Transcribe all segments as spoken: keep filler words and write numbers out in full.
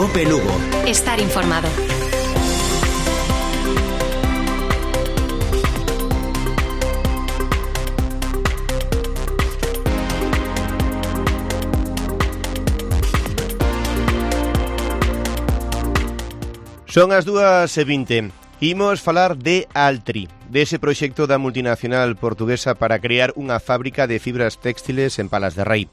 Cope Lugo. Estar informado. Son as dúas e vinte. Imos falar de Altri, dese proxecto da multinacional portuguesa para crear unha fábrica de fibras téxtiles en Palas de Rei.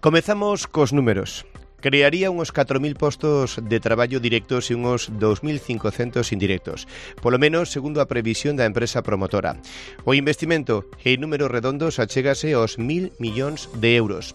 Comezamos cos números. Crearía uns catro mil postos de traballo directos e uns dous mil cincocentos indirectos, polo menos segundo a previsión da empresa promotora. O investimento en números redondos achégase aos mil millóns de euros.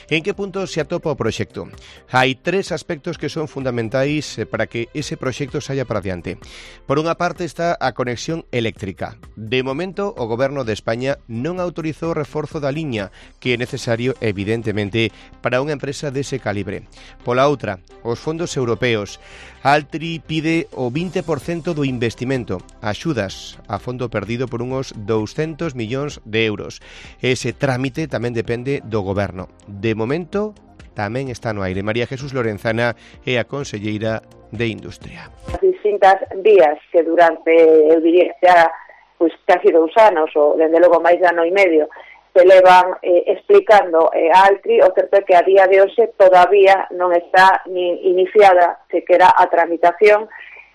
En que punto se atopa o proxecto? Hai tres aspectos que son fundamentais para que ese proxecto saia para diante. Por unha parte está a conexión eléctrica. De momento, o Goberno de España non autorizou o reforzo da liña, que é necesario, evidentemente, para unha empresa dese calibre. Pola outra, os fondos europeos. Altri pide o vinte por cento do investimento, axudas a fondo perdido por uns douscentos millóns de euros. Ese trámite tamén depende do Goberno. De momento, tamén está no aire. María Jesús Lorenzana é a conselleira de Industria. As distintas vías que durante, eu diría, xa, pois, casi dous anos, ou dende logo máis de ano e medio, se levan eh, explicando eh, a Altri, o certo é que a día de hoxe todavía non está ni iniciada sequera a tramitación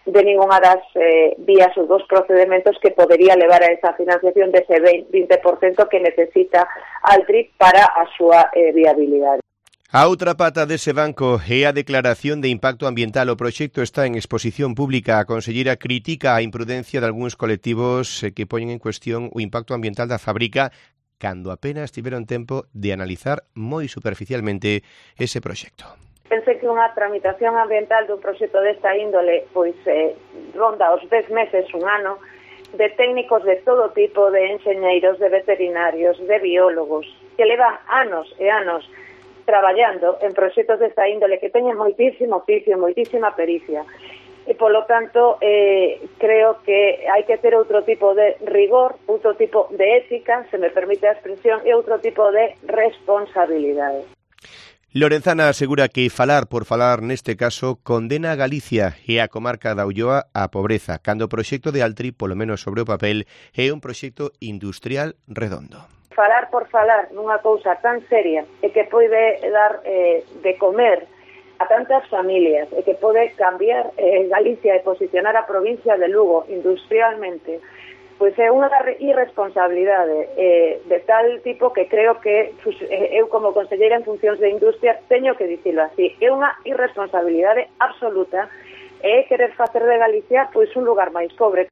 de ninguna das eh, vías ou dos procedementos que podería levar a esa financiación dese vinte por cento que necesita Altri para a súa eh, viabilidade. A outra pata dese banco é a declaración de impacto ambiental. O proxecto está en exposición pública. A conselleira critica a imprudencia de algúns colectivos que poñen en cuestión o impacto ambiental da fábrica cando apenas tiveron tempo de analizar moi superficialmente ese proxecto. Pensei que unha tramitación ambiental dun proxecto desta índole pois eh, ronda os dez meses, un ano, de técnicos de todo tipo, de enxeñeiros, de veterinarios, de biólogos, que levan anos e anos traballando en proxectos desta índole que teñen moitísimo oficio, moitísima pericia. E, polo tanto, eh, creo que hai que ter outro tipo de rigor, outro tipo de ética, se me permite a expresión, e outro tipo de responsabilidade. Lorenzana asegura que falar por falar neste caso condena a Galicia e a comarca da Ulloa á pobreza, cando o proxecto de Altri, polo menos sobre o papel, é un proxecto industrial redondo. Falar por falar nunha cousa tan seria e que pode dar eh, de comer a tantas familias e que pode cambiar eh, Galicia e posicionar a provincia de Lugo industrialmente, pois é unha irresponsabilidade eh, de tal tipo que creo que pues, eh, eu como conselleira en funcións de industria teño que dicilo así, é unha irresponsabilidade absoluta e querer facer de Galicia pois un lugar máis pobre.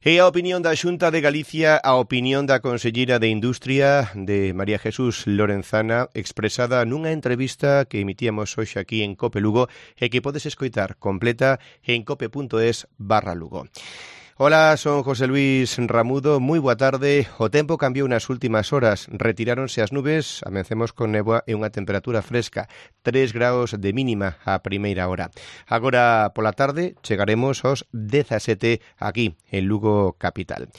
E a opinión da Xunta de Galicia, a opinión da conselleira de Industria, de María Jesús Lorenzana, expresada nunha entrevista que emitíamos hoxe aquí en Cope Lugo e que podes escoitar completa en cope.es barra Lugo. Hola, son José Luis Ramudo, moi boa tarde. O tempo cambiou nas últimas horas, retiráronse as nubes, amencemos con néboa e unha temperatura fresca, tres graus de mínima a primeira hora. Agora pola tarde chegaremos aos dezasete aquí en Lugo capital.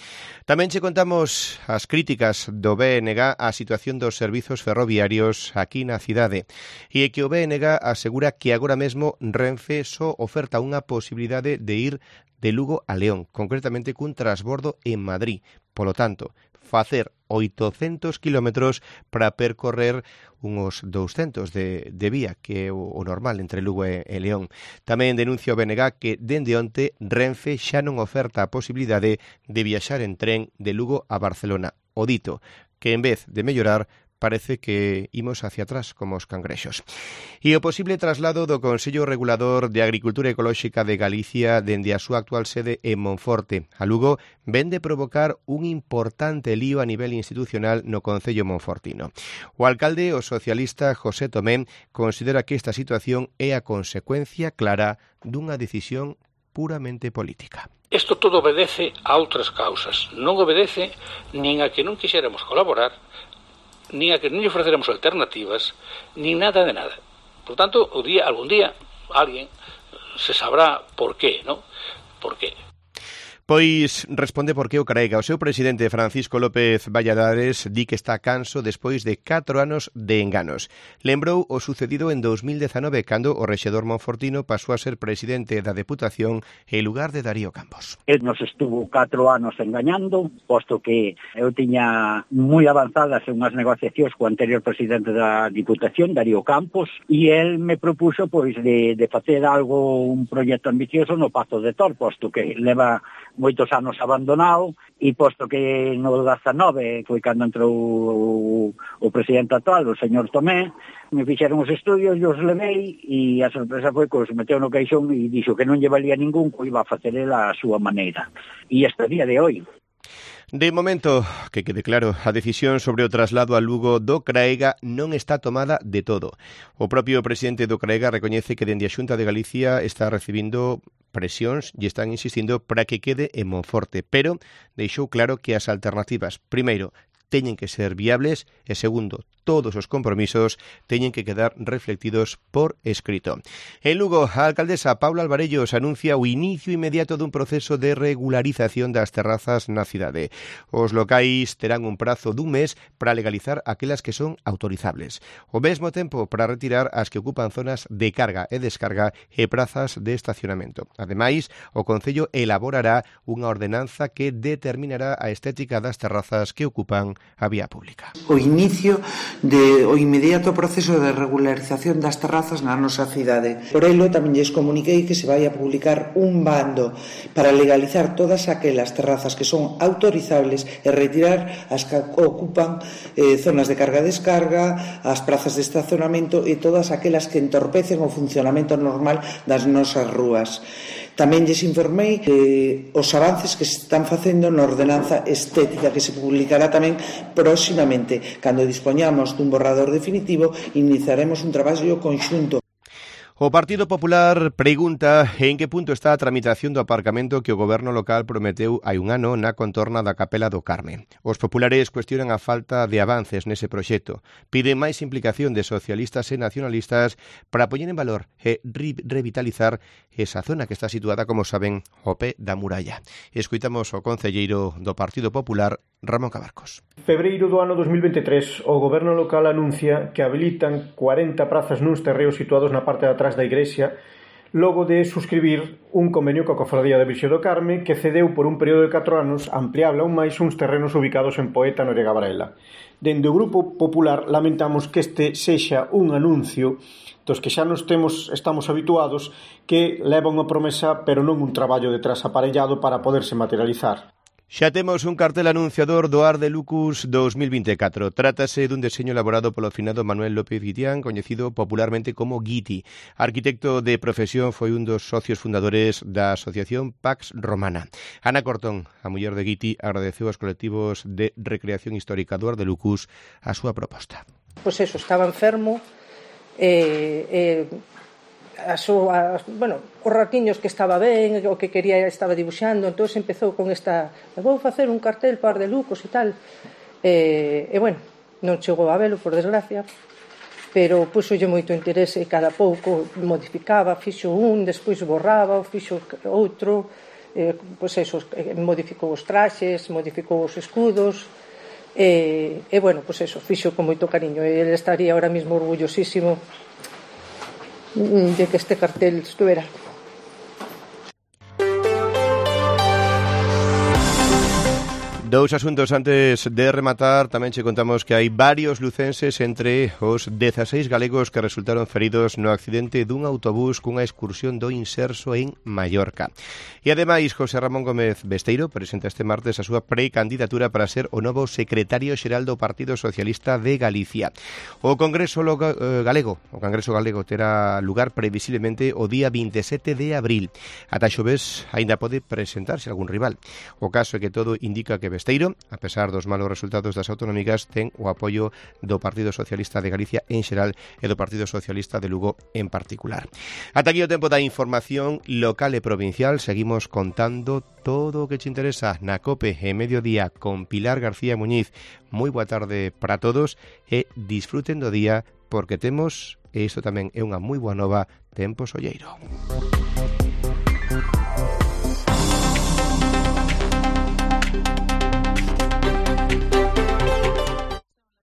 Tamén che contamos as críticas do B N G á situación dos servizos ferroviarios aquí na cidade e que o B N G asegura que agora mesmo Renfe só oferta unha posibilidade de ir de Lugo a León, concretamente cun transbordo en Madrid. Polo tanto, facer oitocentos kilómetros para percorrer uns douscentos de, de vía, que é o, o normal entre Lugo e, e León. Tamén denuncia o B N G que dende onte Renfe xa non oferta a posibilidade de viaxar en tren de Lugo a Barcelona. O dito, que en vez de mellorar, parece que imos hacia atrás como os cangrexos. E o posible traslado do Consello Regulador de Agricultura Ecolóxica de Galicia dende a súa actual sede en Monforte a Lugo ven de provocar un importante lío a nivel institucional no Concello monfortino. O alcalde, o socialista José Tomé, considera que esta situación é a consecuencia clara dunha decisión puramente política. Isto todo obedece a outras causas. Non obedece nin a que non quixéramos colaborar, nin a que non lle ofreceremos alternativas, nin nada de nada. Por tanto, o día, algún día, alguén se sabrá por qué, ¿no? Por qué. Pois responde por que o Craiga. O seu presidente Francisco López Valladares di que está canso despois de catro anos de enganos. Lembrou o sucedido en dous mil dezanove, cando o rexedor monfortino pasou a ser presidente da Deputación en lugar de Darío Campos. El nos estuvo catro anos engañando, posto que eu tiña moi avanzadas unhas negociacións co anterior presidente da Diputación, Darío Campos, e el me propuso pois de, de facer algo, un proxecto ambicioso no Pazo de Tor, posto que leva moitos anos abandonado, e posto que no dezanove foi cando entrou o, o presidente actual, o señor Tomé, me fixeron os estudios, eu os levei, e a sorpresa foi que os meteu no caixón e dixo que non lle valía ningún, que iba a facer ela a súa maneira. E este día de hoy. De momento, que quede claro, a decisión sobre o traslado a Lugo do Craiga non está tomada de todo. O propio presidente do Craiga recoñece que dende a Xunta de Galicia está recibindo presións e están insistindo para que quede en Monforte, pero deixou claro que as alternativas, primeiro, teñen que ser viables e, segundo, todos os compromisos teñen que quedar reflectidos por escrito. En Lugo, a alcaldesa Paula Alvarellos anuncia o inicio inmediato dun proceso de regularización das terrazas na cidade. Os locais terán un prazo dun mes para legalizar aquelas que son autorizables. O mesmo tempo para retirar as que ocupan zonas de carga e descarga e prazas de estacionamento. Ademais, o Concello elaborará unha ordenanza que determinará a estética das terrazas que ocupan a vía pública. O inicio de o inmediato proceso de regularización das terrazas na nosa cidade. Por elo tamén lles comuniquei que se vai a publicar un bando para legalizar todas aquelas terrazas que son autorizables e retirar as que ocupan eh, zonas de carga-descarga, as prazas de estacionamento e todas aquelas que entorpecen o funcionamento normal das nosas rúas. Tamén lles informei eh, os avances que se están facendo na ordenanza estética que se publicará tamén próximamente. Cando dispoñamos dun borrador definitivo, iniciaremos un traballo conxunto. O Partido Popular pregunta en que punto está a tramitación do aparcamento que o goberno local prometeu hai un ano na contorna da Capela do Carme. Os populares cuestionan a falta de avances nese proxecto. Piden máis implicación de socialistas e nacionalistas para poñer en valor e revitalizar esa zona que está situada, como saben, ao pé da muralla. Escoitamos o concelleiro do Partido Popular, Ramón Cabarcos. Febreiro do ano dos mil veintitrés, o goberno local anuncia que habilitan cuarenta prazas nuns terreos situados na parte de atrás da igrexa, logo de suscribir un convenio coa Cofradía da Virxe do Carme que cedeu por un período de catro anos ampliable aún máis uns terrenos ubicados en Poeta, Noriega Varela. Dende o Grupo Popular lamentamos que este sexa un anuncio dos que xa nos temos, estamos habituados, que leva unha promesa pero non un traballo detrás aparellado para poderse materializar. Xa temos un cartel anunciador do Ar de Lucus dos mil vinte e catro. Trátase dun deseño elaborado polo finado Manuel López Guitián, coñecido popularmente como Guiti. Arquitecto de profesión, foi un dos socios fundadores da asociación Pax Romana. Ana Cortón, a muller de Guiti, agradeceu aos colectivos de recreación histórica do Ar de Lucus a súa proposta. Pois eso, estaba enfermo e... Eh, eh... A súa, bueno, os ratiños que estaba ben, o que quería estaba dibuixando, entón empezou con esta, vou facer un cartel par de Lucos e tal, e, e bueno, non chegou a velo, por desgracia, pero puxolle moito interese e cada pouco modificaba, fixo un, despois borraba, fixo outro, e, pois eso, modificou os traxes, modificou os escudos, e, e bueno, pois eso, fixo con moito cariño, e ele estaría ahora mismo orgullosísimo de que este cartel estuviera. Dous asuntos antes de rematar. Tamén che contamos que hai varios lucenses entre os dezaseis galegos que resultaron feridos no accidente dun autobús cunha excursión do Inserso en Mallorca. E ademais, José Ramón Gómez Besteiro presenta este martes a súa precandidatura para ser o novo secretario xeral do Partido Socialista de Galicia. O Congreso Galego, o Congreso Galego terá lugar previsiblemente o día vinte e sete de abril. Ata xoves aínda pode presentarse algún rival. O caso é que todo indica que Besteiro, a pesar dos malos resultados das autonómicas, ten o apoio do Partido Socialista de Galicia en xeral e do Partido Socialista de Lugo en particular. Ata aquí o tempo da información local e provincial. Seguimos contando todo o que te interesa na COPE e Mediodía con Pilar García Muñiz. Moi boa tarde para todos e disfruten do día porque temos, e isto tamén é unha moi boa nova, tempo solleiro.